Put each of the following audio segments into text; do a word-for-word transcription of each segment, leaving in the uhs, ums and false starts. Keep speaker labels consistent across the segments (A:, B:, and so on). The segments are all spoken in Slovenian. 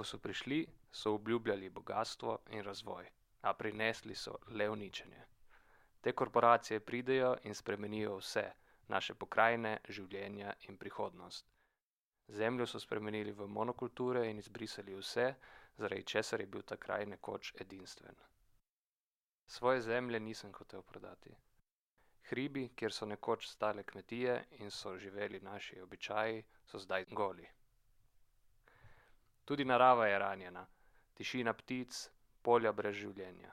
A: so prišli, so obljubljali bogastvo in razvoj, a prinesli so le uničenje. Te korporacije pridejo in spremenijo vse, naše pokrajine, življenja in prihodnost. Zemljo so spremenili v monokulture in izbrisali vse, zaradi česar je bil ta kraj nekoč edinstven. Svoje zemlje nisem hotel prodati. Hribi, kjer so nekoč stale kmetije in so živeli naši običaji, so zdaj goli. Tudi narava je ranjena, tišina ptic, polja brez življenja.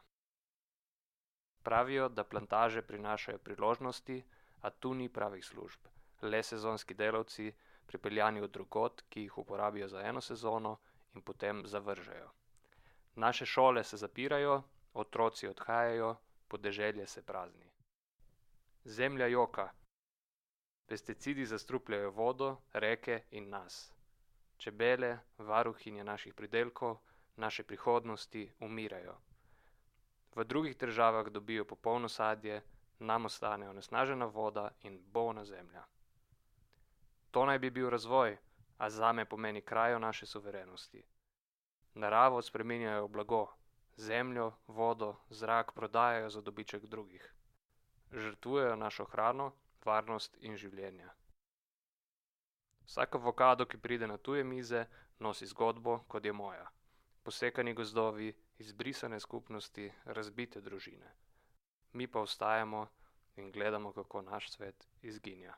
A: Pravijo, da plantaže prinašajo priložnosti, a tu ni pravih služb, le sezonski delavci, pripeljani od drugod, ki jih uporabijo za eno sezono in potem zavržejo. Naše šole se zapirajo, otroci odhajajo, podeželje se prazni. Zemlja joka. Pesticidi zastrupljajo vodo, reke in nas. Čebele, varuhinje naših pridelkov, naše prihodnosti umirajo. V drugih državah dobijo popolno sadje, nam ostane onesnažena voda in bolna zemlja. To naj bi bil razvoj, a zame pomeni krajo naše suverenosti. Naravo spreminjajo v blago, zemljo, vodo, zrak prodajajo za dobiček drugih. Žrtvujejo našo hrano, varnost in življenja. Vsak avokado, ki pride na tuje mize, nosi zgodbo, kot je moja. Posekani gozdovi, izbrisane skupnosti, razbite družine. Mi pa ostajamo in gledamo, kako naš svet izginja.